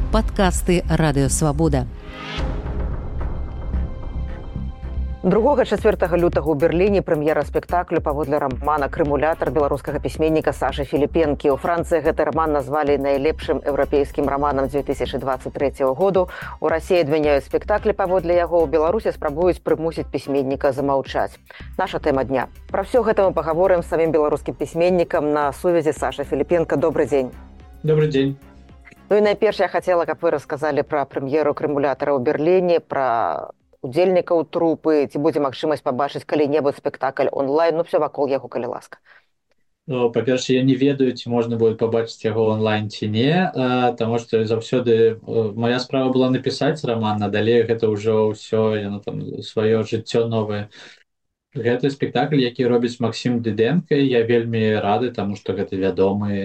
Падкасты Радыёвабода. 2-4 лютага ў Берліне прэм'ера спектаклю паводле рамана «Крымулятар» беларускага пісьменніка Сашы Філіпенкі. У Францыі гэты раман назвалі найлепшым еўрапейскім раманам 2023 году. У Расіі адмяняюць спектаклі паводле яго. У Беларусі спрабуюць прымусіць пісьменніка замаўчаць. Наша тэма дня. Пра ўсё гэта мы пагаворым з самім беларускім пісьменнікам. На сувязі Саша Філіпенка. Добры дзень. Добрый день. Ну і найперш я хацела, каб вы расказалі пра прэм'еру «Крымулятара» ў Берліне, пра удзельнікаў трупы, ці будзе магчымасць пабачыць калі-небудзь спектакль онлайн, ну все вакол яго, калі ласка. Ну, па-першае, я не ведаю, ці можна будет пабачыць яго онлайн ці не, таму што заўсёды моя справа была напісаць раман, а далей гэта ўжо ўсё, яно там сваё жыццё новае. Гэты спектакль, які робіць Максім Дыденко, я вельмі рады, таму што гэта вядомы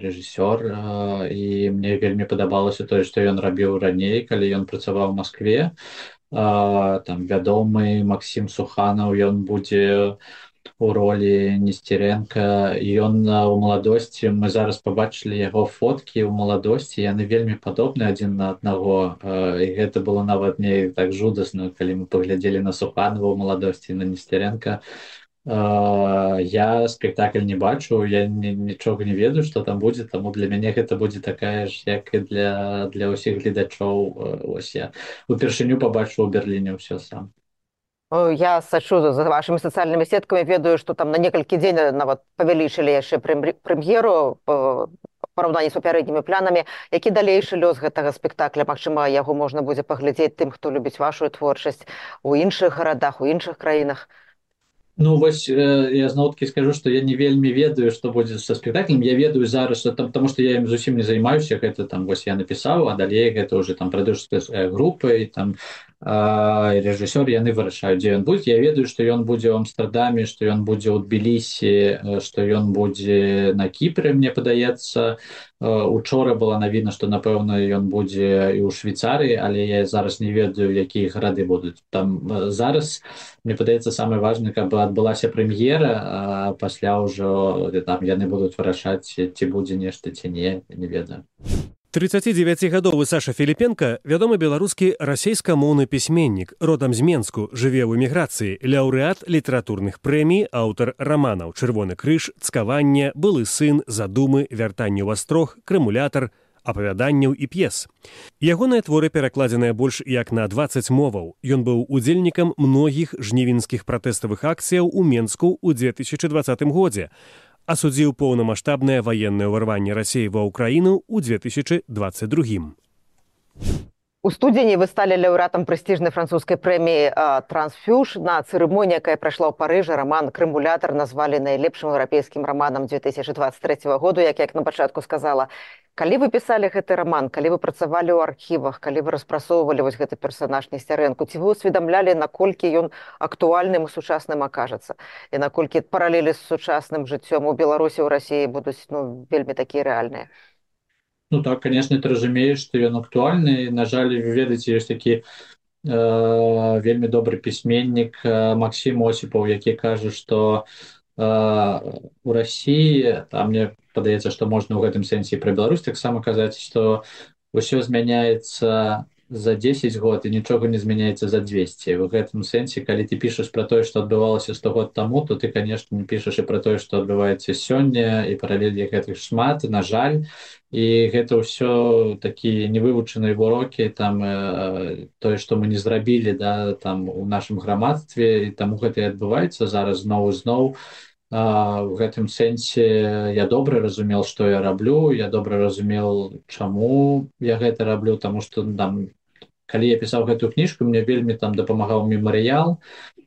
рэжысёр, і мне вельмі падабалася тое, што ён рабіў раней, калі ён працаваў у Маскве. Там вядомы Максім Суханаў, ён будзе у ролі Несцярэнка, і ён у маладосці, мы зараз пабачылі яго фоткі ў маладосці, яны вельмі падобны адзін на аднаго, і гэта было нават не так жудасна, калі мы паглядзелі на Суханова ў маладосці, на Несцярэнка. Я спектакль не бачу, я нічога не ведаю, што там будзе, таму для мяне гэта будзе такая ж, як і для ўсіх гледачоў. Ось я упершыню пабачу ў Берліне ўсё сам. Я сачу за вашымі сацыяльнымі сеткамі, ведаю, што там на некалькі дзень нават павялічылі яшчэ прэм'еру па параўнанні з папярэднімі планамі. Які далейшы лёс гэтага спектакля? Магчыма, яго можна будзе паглядзець тым, хто любіць вашу творчасць у іншых гарадах, у іншых краінах? Ну, вось я зноў-такі скажу, што я не вельмі ведаю, што будзе са спектаклем. Я ведаю зараз, што там, таму што я ім зусім не займаюся, гэта там вось я напісаў, а далей гэта ўжо там прадюсерская група і там рэжысёр, яны вырашаюць, дзе ён будзе. Я ведаю, што ён будзе ў Амстэрдаме, што ён будзе ў Тбілісі, што ён будзе на Кіпры, мне падаецца. Учора была навіна, што, напэўна, ён будзе і ў Швейцарыі, але я зараз не ведаю, якія гарады будуць. Там зараз, мне падаецца, самае важнае, каб адбылася прэм'ера, а пасля ўжо там яны будуць вырашаць, ці будзе нешта, ці не ведаю. 39-гадовы Саша Філіпенка, вядомы беларускі расейскамоўны пісьменнік, родам з Менску, жыве ў эміграцыі, лаўрэат літаратурных прэмій, аўтар раманаў «Чырвоны крыж», «Цкаванне», «Былы сын», «Задумы», «Вяртанне ў астрог», «Крымулятар», апавяданняў і п'ес. Ягоныя творы перакладзеныя больш як на 20 моваў. Ён быў удзельнікам многіх жнівеньскіх пратэставых акцыяў у Менску ў 2020 годзе. Асудзіў поўнамаштабнае ваеннае ўварванне Расіі ва ўкраіну ў 2022. У студзені вы сталі лаўрэатам прэстыжнай французскай прэміі «Трансфюж». На цырымоніі, якая прайшла ў Парыжы, раман «Крымулятар» назвалі найлепшым еўрапейскім раманам 2023 году, як на пачатку сказала. Калі вы пісалі гэты раман, калі вы працавалі ў архівах, калі вы распрацоўвалі вось гэты персанаж Несцярэнку, ці вы усведамлялі, наколькі ён актуальным і сучасным акажацца? І наколькі паралелі з сучасным жыццём у Беларусі, у Расіі будуць вельмі такія рэальныя? Ну так, конечно, ты разумееш, што ён актуальны. На жаль, вы ведаеце, ёсць такі вельмі добры пісьменнік Максім Осіпаў, які кажа, што у Расіі, а мне падаецца, што можна ў гэтым сэнсе пра Беларусь таксама казаць, што ўсё змяняецца за 10 год і нічога не змяняецца за 200. В гэтым сэнсе, калі ты пішаш пра тое, што адбывалася 100 год таму, то ты, конечно, не пішаш і пра тое, што адбываецца сёння, і паралелі гэтых шмат, на жаль. І гэта ўсё такія невывучаныя урокі, там тое, што мы не зрабілі, да, там у нашым грамадстве, і таму гэта і адбываецца зараз зноў і зноў. В гэтым сэнсе я добра разумел, што я раблю, я добра разумел, чаму я гэта раблю, таму што там, калі я пісаў гэтую кніжку, мне вельмі там дапамагаў мемарыял,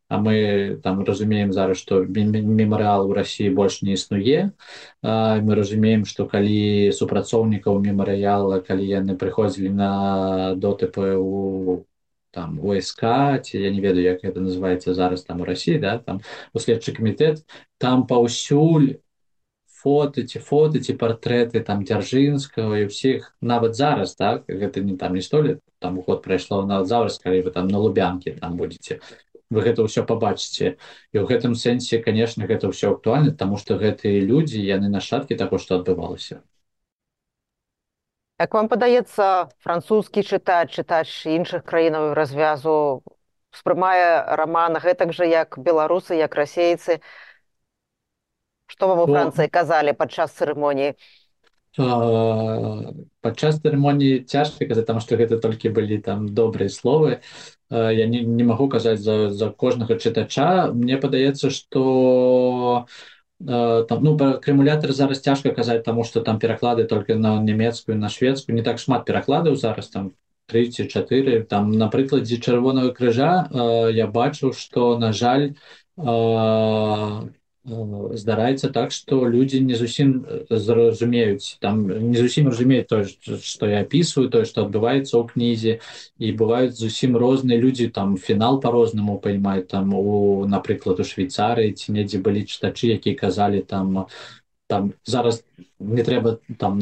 а мы там разумеем зараз, што мемарыял у Расіі больш не існуе. Мы разумеем, што калі супрацоўнікаў мемарыяла, калі яны прыходзілі на дотыпы у там УСК, ці я не ведаю, як гэта называецца зараз там у Расіі, да, там у следчы камітэт, там паўсюль фоты, ці партрэты там Дзяржынскага і ўсіх, нават зараз, так, гэта не там не столі, там год прайшло, нават зараз, калі вы там на Лубянкі там будзеце, вы гэта ўсё пабачыце. І ў гэтым сэнсе, конечно, гэта ўсё актуальна, таму што гэтыя людзі, яны нашчадкі таго, што адбывалася. Як вам падаецца, французскі чытач іншых краінаў развязу успрымае раман гэтак жа, як беларусы, як расейцы? Што вам у То Францыі казалі падчас цырымоніі? падчас цырымоніі цяжка казаць, таму што гэта толькі былі там добрыя словы. Я не магу казаць за кожнага чытача. Мне падаецца, што там, про крэмулятар зараз цяжка казаць, таму што там пераклады толькі на нямецкую, на шведскую, не так шмат перакладаў зараз, там 3 ці 4. Там, на прыкладзе Чырвонага крыжа я бачыў, што, на жаль, здараецца так, што людзі не зусім зразумеюць, там не зусім разумеюць тое, што я апісваю, тое, што адбываецца ў кнізе, і бываюць зусім розныя людзі, там фінал па-рознаму паймаюць, там напрыклад, у Швейцарыі ці недзе былі чытачы, якія казалі там зараз не трэба там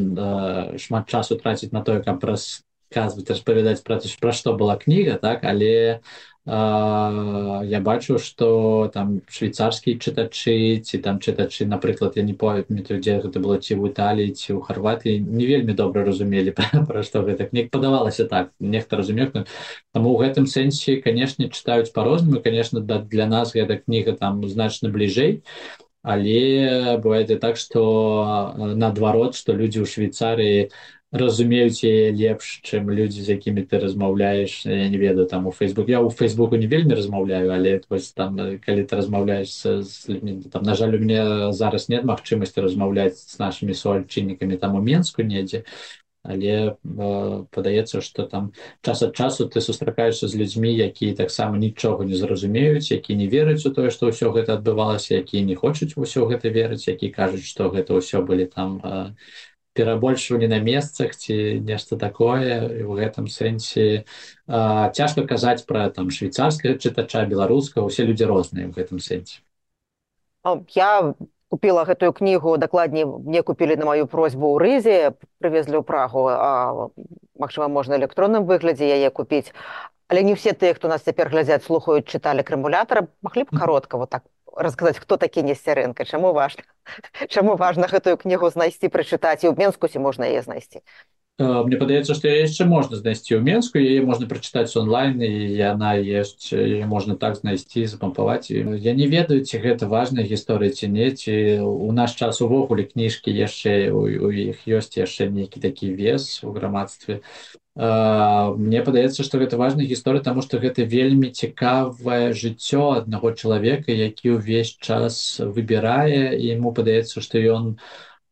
шмат часу траціць на тое, каб расказваць, распавядаць пра што была кніга, так, але я бачу, што там швейцарскія чытачы, ці там чытачы, напрыклад, я не памятаю, дзе гэта было, ці ў Італіі, ці ў Харватыі, не вельмі добра разумелі, пра што гэта кніга. Падавалася так, нехта разумеў. Таму ў гэтым сэнсе, канешне, чытаюць па-рознаму, канешне, для нас гэта кніга там значна бліжэй, але бывае так, што наадварот, што людзі ў Швейцарыі разумеюць яе лепш, чым людзі, з якімі ты размаўляеш, я не ведаю, там у Фейсбуку. Я ў Фейсбуку не вельмі размаўляю, але вось там, калі ты размаўляеш з людзьмі, там, на жаль, у мяне зараз нет магчымасці размаўляць з нашымі суайчыннікамі там у Менску недзе, але падаецца, што там час ад часу ты сустракаешся з людзьмі, якія таксама нічога не зразумеюць, якія не вераць у тое, што ўсё гэта адбывалася, якія не хочуць ўсё гэта верыць, якія кажуць, што гэта ўсё былі там перабольшванні на месцах ці нешта такое. І ў гэтым сэнсе цяжка казаць пра там швейцарскага чытача, беларускага, усе людзі розныя ў гэтым сэнсе. Я купила гэтую кнігу, дакладней, мне купілі на маю просьбу ў Рызе, прывезлі ў Прагу, магчыма, можна электронным выглядзе яе купіць. Але не ўсе тыя, хто нас цяпер глядзяць, слухаюць, чыталі крэмулятара. Маглі б каротка вот так расказаць, хто такі Несцярэнка, чаму важна гэтую кнігу знайсці, прачытаць, і ў Менску ці можна яе знайсці? Мне падаецца, што яе яшчэ можна знайсці ў Менску, яе можна прачытаць онлайн, і яна ёсць, яе можна так знайсці, запампаваць. Я не ведаю, ці гэта важная гісторыя ці не, ці у наш час увогуле кніжкі яшчэ, у іх ёсць яшчэ нейкі такі вес у грамадстве. Мне падаецца, што гэта важная гісторыя, таму што гэта вельмі цікавае жыццё аднаго чалавека, які ўвесь час выбірае, і яму падаецца, што ён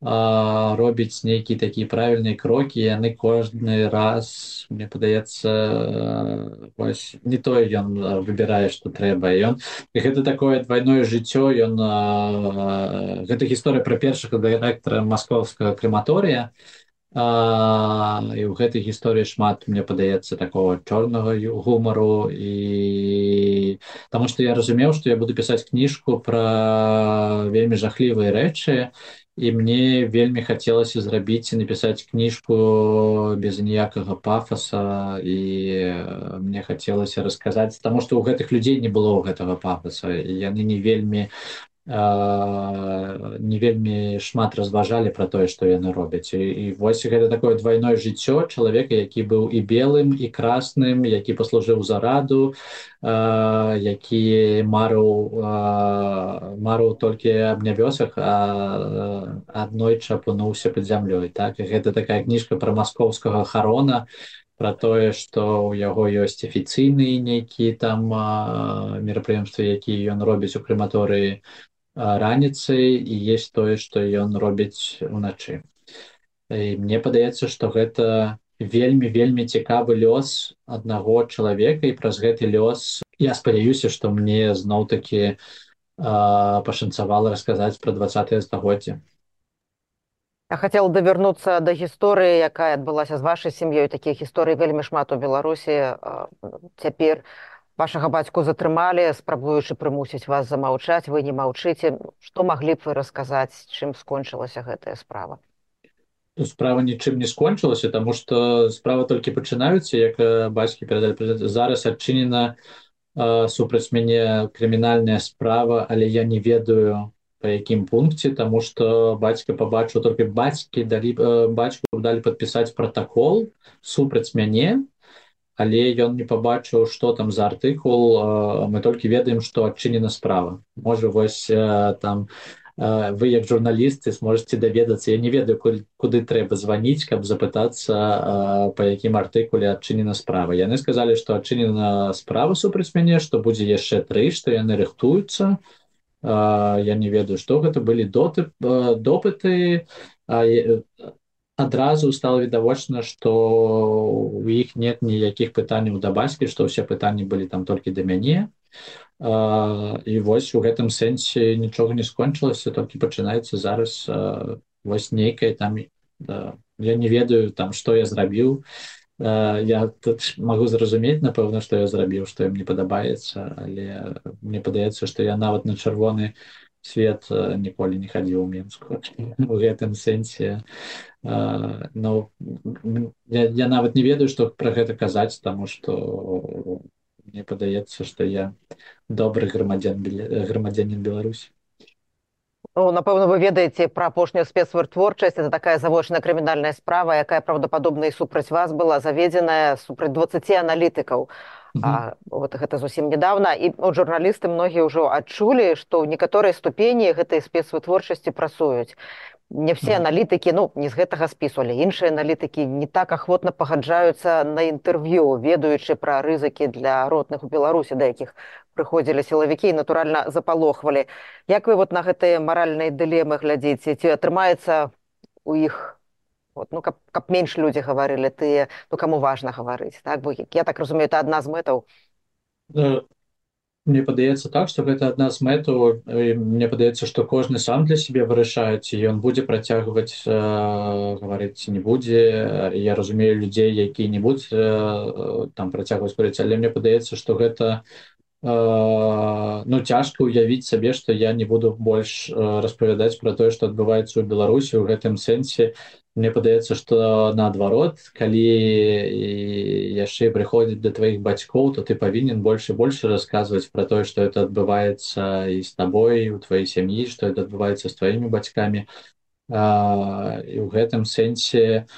робіць нейкія такія правільныя крокі, і яны кожны раз, мне падаецца, не тое ён выбірае, што трэба. Гэта такое двайное жыццё, гэта гісторыя пра першага дырэктара маскоўскага крэматорыя, і ў гэтай гісторыі шмат, мне падаецца, такого чорнага гумару, і таму што я разумеў, што я буду пісаць кніжку пра вельмі жахлівыя рэчы, і мне вельмі хацелася зрабіць і напісаць кніжку без ніякага пафаса, і мне хацелася расказаць, таму што ў гэтых людзей не было гэтага пафаса, і яны не вельмі шмат разважалі пра тое, што яны робяць. І вось гэта такое двайное жыццё чалавека, які быў і белым, і красным, які паслужыў зараду, які марыў толькі аб нябёсах, а аднойчы апынуўся пад зямлёй. Так? Гэта такая кніжка пра маскоўскага Харона, пра тое, што ў яго ёсць афіцыйныя нейкія там мерапрыемствы, якія ён робіць у крэматорыі раніцай, і ёсць тое, што ён робіць уначы. І мне падаецца, што гэта вельмі цікавы лёс аднаго чалавека, і праз гэты лёс я спадзяюся, што мне зноў-такі пашанцавала расказаць пра 20е стагоддзе. Я хацела давярнуцца да гісторыі, якая адбылася з вашай сям'ёй. Такіх гісторый вельмі шмат у Беларусі. Цяпер вашага бацьку затрымалі, спрабуючы прымусіць вас замаўчаць, вы не маўчыце. Што маглі б вы расказаць, чым скончылася гэтая справа? Справа нічым не скончылася, таму што справа толькі пачынаюцца, як бацькі перадалі прэзідэнту. Зараз адчынена супраць мяне крымінальная справа, але я не ведаю, па якім пункце, таму што бацька пабачыў, толькі бацьку далі падпісаць пратакол супраць мяне, але ён не пабачыў, што там за артыкул, мы толькі ведаем, што адчынена справа. Можа, вось там вы, як журналісты, зможаце даведацца, я не ведаю, куды трэба званіць, каб запытацца, па якім артыкуле адчынена справа. Яны сказалі, што адчынена справа супраць мяне, што будзе яшчэ 3, што яны рыхтуюцца. Я не ведаю, што гэта былі допыты. Адразу стала відавочна, што ў іх нет ніякіх пытанняў да бацькі, што ўсе пытанні былі там толькі да мяне. І вось у гэтым сэнсе нічога не скончылася, толькі пачынаецца зараз вось нейкае там, я не ведаю там, што я зрабіў. Я тут магу зразумець, напэўна, што я зрабіў, што ім не падабаецца, але мне падаецца, што я нават на чырвоны свет ніколі не хадзіў у Мінску. У гэтым сэнсе я нават не ведаю, што пра гэта казаць, таму што мне падаецца, што я добры грамадзянін Беларусі. Ну, напэўна, вы ведаеце пра апошнюю спецвытворчасць. Это такая завочная крымінальная справа, якая праўдападобна і супраць вас была заведзеная супраць 20 аналітыкаў. Вот гэта зусім недавно. І журналісты многія ўжо адчулі, што ў некаторай ступені гэтай спецвытворчасці працуюць. Не все аналітыкі, не з гэтага спісу, але іншыя аналітыкі не так ахвотна пагаджаюцца на інтэрв'ю, ведаючы пра рызыкі для родных у Беларусі, да якіх прыходзілі сілавікі і, натуральна, запалохвалі. Як вы на гэтыя маральныя дылемы глядзіце? Ці атрымаецца у іх, каб менш людзі гаварылі тыя, каму важна гаварыць? Так? Бо, я так разумею, это адна з мэтаў. Мне падаецца так, што гэта адна з мэтаў. Мне падаецца, што кожны сам для сябе вырашае, ці ён будзе працягваць гаварыць, ці не будзе. Я разумею людзей, якія не будуць там працягваць гаварыць, але мне падаецца, што гэта цяжка ўявіць сабе, што я не буду больш распавядаць пра тое, што адбываецца ў Беларусі. У гэтым сэнсе мне падаецца, што наадварот, калі яшчэ прыходзіць да тваіх бацькоў, то ты павінен больш і больш расказваць пра тое, што это адбываецца і з табой, у тваёй сям'і, што это адбываецца з тваімі бацькамі. І ў гэтым сэнсе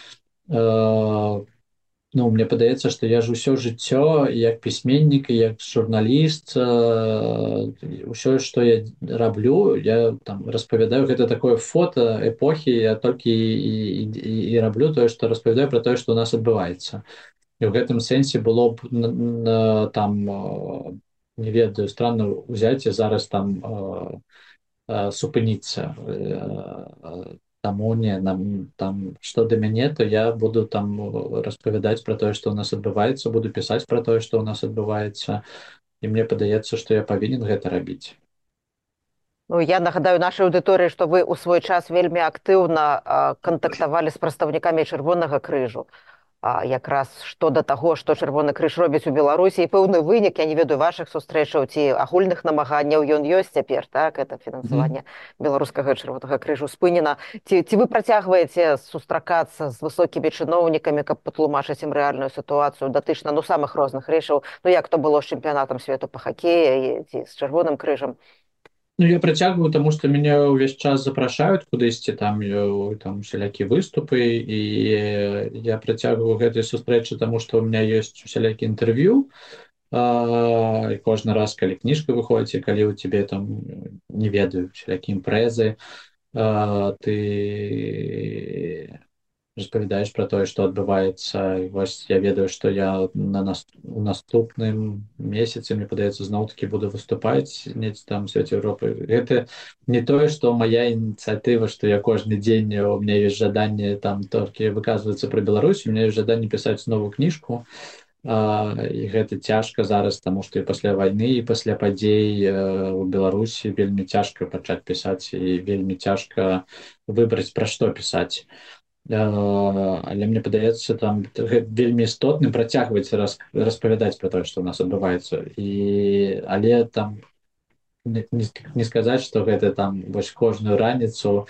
мне падаецца, што я ж усё жыццё як пісьменнік і як журналіст, усё, што я раблю, я там распавядаю, гэта такое фота эпохі, я толькі і раблю тое, што распавядаю пра тое, што ў нас адбываецца. І ў гэтым сэнсе было б там, не ведаю, странна ўзяць і зараз там супыніцца. Таму там, што да мяне, то я буду там распавядаць пра тое, што ў нас адбываецца, буду пісаць пра тое, што ў нас адбываецца, і мне падаецца, што я павінен гэта рабіць. Я нагадаю нашай аўдыторыі, што вы ў свой час вельмі актыўна кантактавалі з прадстаўнікамі Чырвонага крыжу. Якраз што да таго, што Чырвоны крыж робіць у Беларусі, і пэўны вынік, я не ведаю вашых сустрэчаў ці агульных намаганняў, ён ёсць цяпер, так? Это фінансаванне беларускага Чырвонага крыжу спынена. Ці вы працягваеце сустракацца з высокімі чыноўнікамі, каб патлумачыць ім рэальную сітуацыю датычна самых розных рэчаў, як то было з чэмпіянатам свету па хакеі ці з Чырвоным крыжам? Я працягваю, таму што мяне ўвесь час запрашаюць кудысьці, там усялякія выступы, і я працягваю гэтыя сустрэчы, таму што ў меня ёсць усялякія інтэрв'ю, і кожны раз, калі кніжка выходзіць, і калі ў цябе там, не ведаю, усялякія імпрэзы, ты распавядаеш пра тое, што адбываецца. І вось я ведаю, што я у наступным месяцы, мне падаецца, зноў-такі буду выступаць недзе там у свеце Еўропы. Гэта не тое, што мая ініцыятыва, што я кожны дзень, у меня ёсць жаданне там толькі выказвацца пра Беларусь, у меня ёсць жаданне пісаць новую кніжку. І гэта цяжка зараз, таму што і пасля вайны, і пасля падзей у Беларусі вельмі цяжка пачаць пісаць, і вельмі цяжка выбраць, пра што пісаць. Але мне падаецца, там вельмі істотным працягваць распавядаць пра тое, што ў нас адбываецца. Але там не сказаць, што гэта там вось кожную раніцу,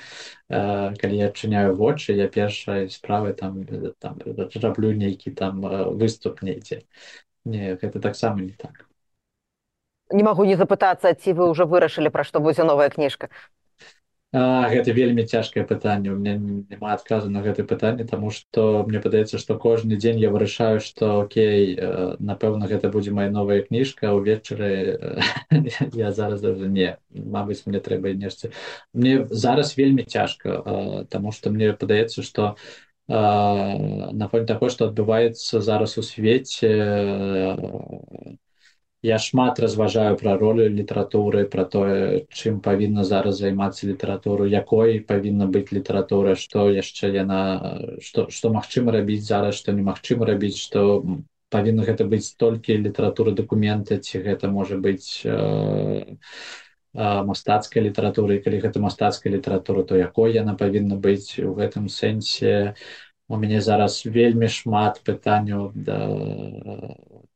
калі я адчыняю вочы, я першай справай там раблю нейкі там выступ недзе. Не, гэта таксама не так. Не магу не запытацца, ці вы ўжо вырашылі, пра што будзе новая кніжка? Гэта вельмі цяжкае пытанне. У меня няма адказу на гэта пытанне, таму што мне падаецца, што кожны дзень я вырашаю, што окей, напэўна, гэта будзе моя новая кніжка, а ўвечары я зараз даже не. Мабыць, мне трэба нешта. Мне зараз вельмі цяжка, таму што мне падаецца, што на фоне таго, што адбываецца зараз у свеце, я шмат разважаю пра ролю літаратуры, пра тое, чым павінна зараз займацца літаратуру, якой павінна быць літаратура, што яшчэ што магчыма рабіць зараз, што немагчыма рабіць, што павінна гэта быць толькі літаратура дакумента, ці гэта можа быць мастацкая літаратура, і калі гэта мастацкая літаратура, то якой яна павінна быць. У гэтым сэнсе у мяне зараз вельмі шмат пытанняў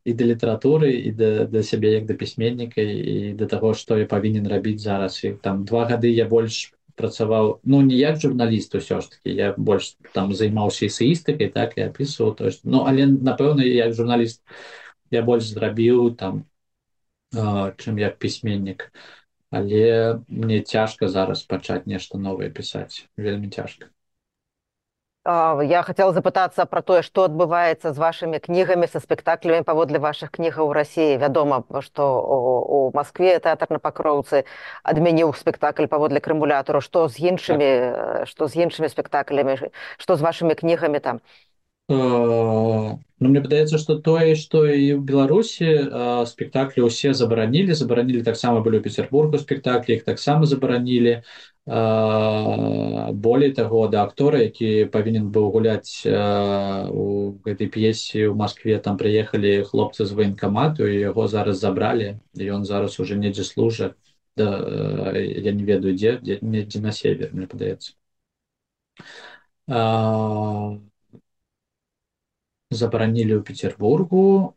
і да літаратуры, і да сябе як да пісьменніка, і да таго, што я павінен рабіць зараз. І там 2 гады я больш працаваў, ну, не як журналіст усё ж такі, я больш там займаўся эсеістыкай, так, і апісваў тое, што... Ну, але, напэўна, як журналіст я больш зрабіў там, чым як пісьменнік. Але мне цяжка зараз пачаць нешта новае пісаць, вельмі цяжка. Я хотела запытацца пра тое, што адбываецца з вашымі кнігамі, са спектаклямі паводле вашых кнігаў у Расіі. Вядома, што у Маскве тэатр на Пакроўцы адмяніў спектакль паводле крымулятару. Што з іншымі спектаклямі, што з вашымі кнігамі там? Ну, мне падаецца, што тое, што і ў Беларусі спектаклі ўсе забаранілі таксама былі ў Петербургу спектаклі, іх таксама забаранілі. Болей таго, да актора, які павінен быў гуляць у гэтай п'есе ў Маскве, там прыехалі хлопцы з ваенкамату, і яго зараз забралі, і ён зараз уже недзе служа. Я не ведаю, недзе на север, мне падаецца. Забаранілі ў Петербургу,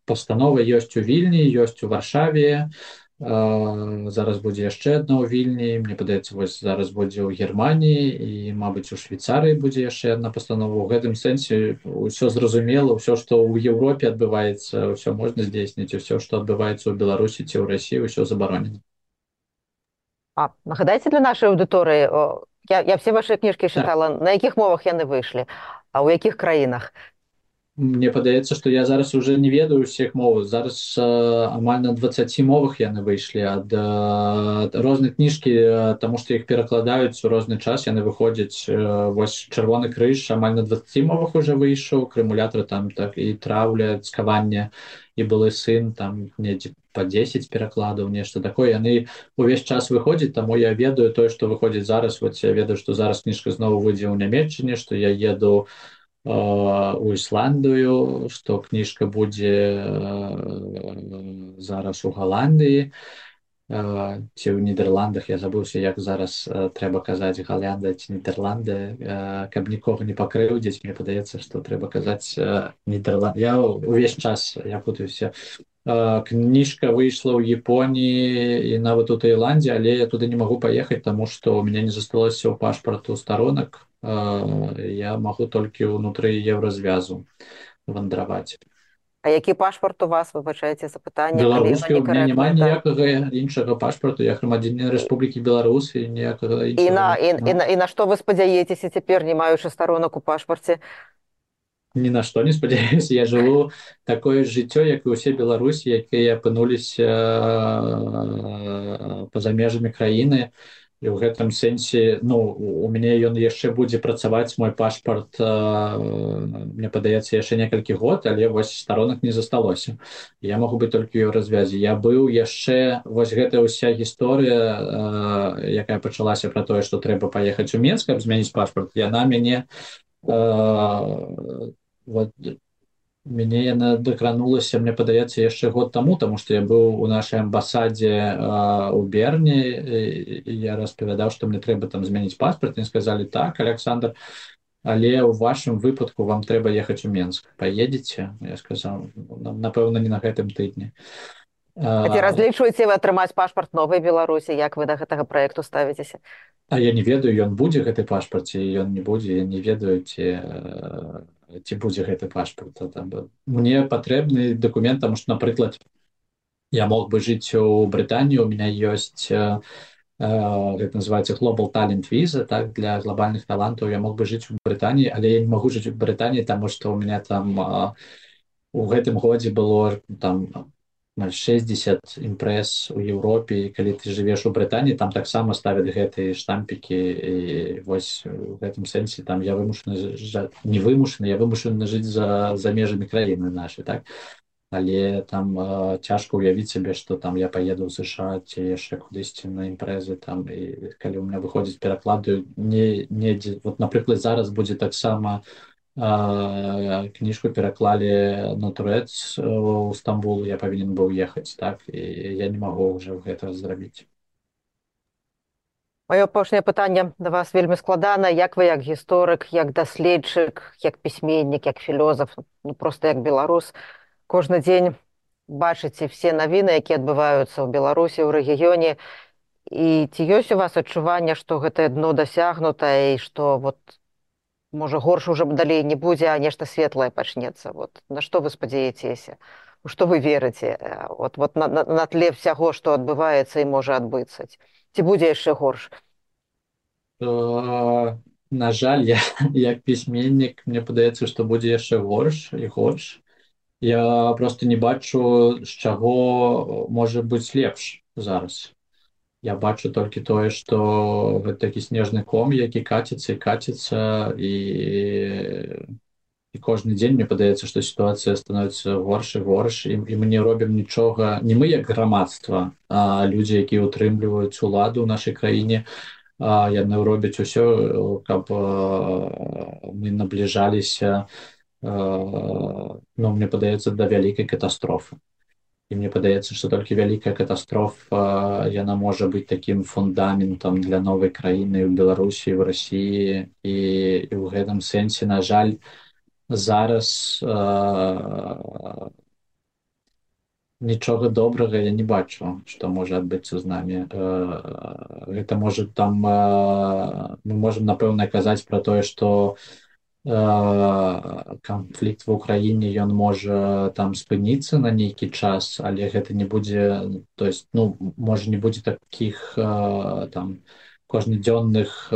пастанова ёсць у Вільні, ёсць у Варшаве, зараз будзе яшчэ адна ў Вільні, мне падаецца, вось зараз будзе ў Германіі, і, мабыць, у Швейцарыі будзе яшчэ адна пастанова. У гэтым сэнсе ўсё зразумела, ўсё, што ў Еўропе адбываецца, ўсё можна здзейсніць, усё, што адбываецца ў Беларусі ці ў Расіі, ўсё забаронена. Нагадайце для нашай аўдыторыі, я все ваши кніжкі чытала, на якіх мовах яны выйшлі? А ў якіх краінах? Мне падаецца, што я зараз уже не ведаю ўсіх моў. Зараз амаль на 20 мовах яны выйшлі ад розных кніжкі, таму што іх перакладаюць у розны час, яны выходзяць. Вось «Чырвоны крыж» амаль на 20 мовах уже выйшаў, «Крымулятар» там так і «Траўля», «Цкаванне» і «Былы сын», там недзе па 10 перакладаў, нешта такое. Яны увесь час выходзяць, таму я ведаю тое, што выходзіць зараз. Вот я ведаю, што зараз кніжка зноў выйдзе ў Нямецчыне, што я еду у Ісландыю, што кніжка будзе зараз у Галандыі ці ў Нідерландах. Я забыўся, як зараз трэба казаць Галандыя ці Нідерланды, каб нікога не пакрыўдзіць. Мне падаецца, што трэба казаць Нідерланд. Я увесь час путаюся. Кніжка выйшла ў Японіі і нават у Таіландзе, але я туды не магу паехаць, таму што у мяне не засталося ў пашпарту сторонак. Я магу толькі ўнутры еўразвязу вандраваць. А які пашпарт у вас, выбачайце за пытанне? Беларускі, у мяне няма ніякага іншага пашпарту, я грамадзянін Рэспублікі Беларусь, і ніякага іншага. І на што вы спадзяецеся цяпер, не маючы сторонак у пашпарце? Ні на што не спадзяюся. Я жыву такое жыццё, як і ўсе беларусі, якія апынуліся па-за межамі краіны. І ў гэтым сэнсе, ну, у мяне ён яшчэ будзе працаваць, мой пашпарт, мне падаецца, яшчэ некалькі год, але вось сторонак не засталося. Я магу быць толькі ў еўразвязе. Я быў яшчэ, вось гэтая ўся гісторыя, якая пачалася пра тое, што трэба паехаць у Менск, каб змяніць пашпарт, яна мяне яна дакранулася, мне падаецца, яшчэ год таму, таму што я быў у нашай амбасадзе ў Берне, і я распавядаў, што мне трэба там змяніць паспарт, і сказалі: так, Александр, але ў вашым выпадку вам трэба ехаць у Менск. Паедзеце? Я сказаў: напэўна, не на гэтым тыдні. Ці разлічваеце вы атрымаць пашпарт новай Беларусі? Як вы да гэтага праекту ставіцеся? А я не ведаю, ён будзе гэты пашпарт, ці ён не будзе, я не ведаю, ці будзе гэты пашпарт. Мне патрэбны дакумент, таму што, напрыклад, я мог бы жыць у Брытаніі, у меня ёсць гэта называецца Global Talent Visa, так, для глобальных талантаў. Я мог бы жыць у Брытаніі, але я не магу жыць у Брытаніі, таму што ў мяне там у гэтым годзе было там 60 імпрэз у Еўропе, і калі ты жывеш у Брытаніі, там таксама ставяць гэтыя штампікі, і вось у гэтым сэнсе там я вымушаны я вымушаны жыць за межамі краіны нашай, так? Але там цяжка ўявіць сабе, што там я паеду ў США ці яшчэ кудысьці на імпрэзы, там, і калі ў меня выходзіць пераклады недзе, вот, напрыклад, зараз будзе таксама кніжку пераклалі на турэц у Стамбул, я павінен быў ехаць, так, і я не магу ўжо гэта зрабіць. Маё апошняе пытанне да вас вельмі складана. Як вы, як гісторык, як даследчык, як пісьменнік, як філозаф, ну проста як беларус, кожны дзень бачыце все навіны, якія адбываюцца ў Беларусі, ў рэгіёне, і ці ёсць у вас адчуванне, што гэтае дно дасягнута і што вот можа горш ужо далей не будзе, а нешта светлае пачнецца? Вот на што вы спадзяецеся, у што вы верыце, вот на тле всяго, што адбываецца і можа адбыцца? Ці будзе яшчэ горш? На жаль, я як пісьменнік, мне падаецца, што будзе яшчэ горш і горш. Я просто не бачу, з чаго можа быць лепш зараз. Я бачу толькі тое, што гэта такі снежны ком, які каціцца і каціцца, і кожны дзень мне падаецца, што сітуацыя становіцца горш і горш, і мы не робім нічога, не мы як грамадства, а людзі, якія ўтрымліваюць уладу ў нашай краіне, яны робяць усё, каб мы набліжаліся, ну, мне падаецца, да вялікай катастрофы. І мне падаецца, што толькі вялікая катастрофа, яна можа быць такім фундаментам для новай краіны ў Беларусі, ў Расіі, і ў гэтым сэнсе, на жаль, зараз нічога добрага я не бачу, што можа адбыцца з намі. Гэта можа там, мы можам, напэўна, казаць пра тое, што канфлікт в Украіне, ён можа там спыніцца на нейкі час, але гэта не будзе, то есть, ну, можа не будзе такіх там кожнадзённых,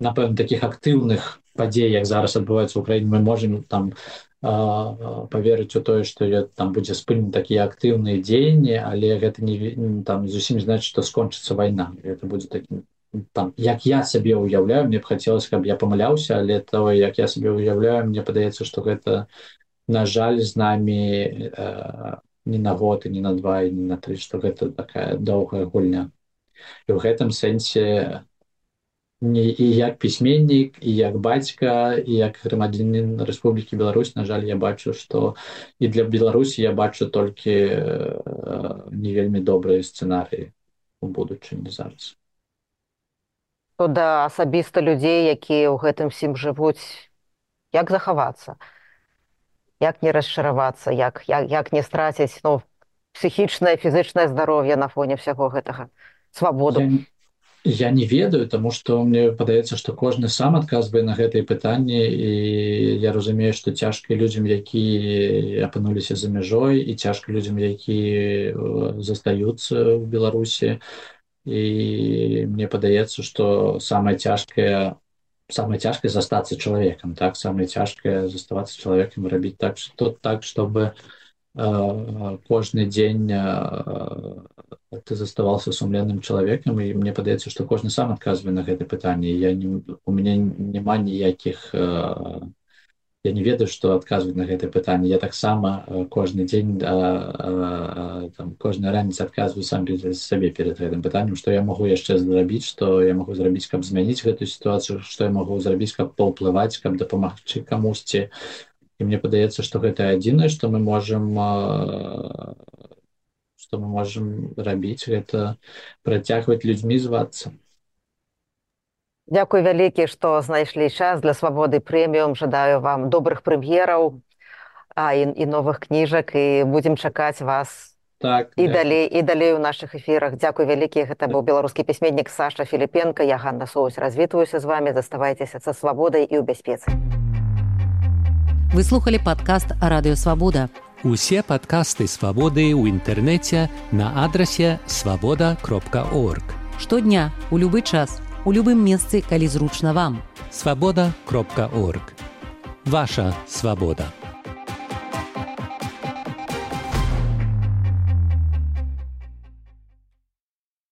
напэўна, такіх актыўных падзей, як зараз адбываецца ў Украіне. Мы можам там паверыць у тое, што там будзе спынены такія актыўныя дзеянні, але гэта не там зусім не значыць, што скончыцца вайна. Гэта будзе такім там, як я сабе ўяўляю, мне б хацелася, каб я памыляўся, але того, як я сабе ўяўляю, мне падаецца, што гэта, на жаль, з намі не на год, і не на 2, і не на 3, што гэта такая доўгая гульня. І ў гэтым сэнсе і як пісьменнік, і як бацька, і як грамадзянін Рэспублікі Беларусь, на жаль, я бачу, што і для Беларусі я бачу толькі не вельмі добрыя сцэнарыі у будучыні зараз. То да асабіста людзей, якія ў гэтым всім жывуць, як захавацца, як не расчаравацца, як не страціць, ну, псіхічнае, фізычнае здароўе на фоне всяго гэтага, свабоду? Я не ведаю, таму што мне падаецца, што кожны сам адказвае на гэтыя пытанні, і я разумею, што цяжка людзям, якія апынуліся за мяжой, і цяжка людзям, якія застаюцца ў Беларусі. І мне падаецца, што самае цяжкае застацца чалавекам, так, самае цяжкае заставацца чалавекам, рабіць так, чтобы кожны дзень ты заставаўся сумленным чалавекам, і мне падаецца, што кожны сам адказвае на гэта пытанне. У мяне няма ніякіх, я не ведаю, што адказваць на гэта пытанне. Я таксама кожны дзень, кожны раніц адказваю сам сабе перад гэтым пытаннем, што я магу яшчэ зрабіць, што я магу зрабіць, каб змяніць гэтую сітуацыю, што я магу зрабіць, каб паўплываць, каб дапамагчы камусьці. І мне падаецца, што гэта адзінае, што мы можам рабіць, гэта працягваць людзьмі звацца. Дзякуй вялікі, што знайшлі час для Свабоды Прэміум. Жадаю вам добрых прэм'ераў і новых кніжак, і будзем чакаць вас і далей у нашых эфірах. Дзякуй вялікі. Гэта быў беларускі пісьменнік Саша Філіпенка. Я Ганна Соусь развітваюся з вамі. Заставайцеся са свабодай і ў бяспецы. Вы слухали падкаст «Радыё Свабода». Усе падкасты «Свабоды» ў інтэрнэце на адрасе свабода.орг. Штодня, у любы час, у любым месцы, калі зручна вам. Свабода.орг. Ваша свабода.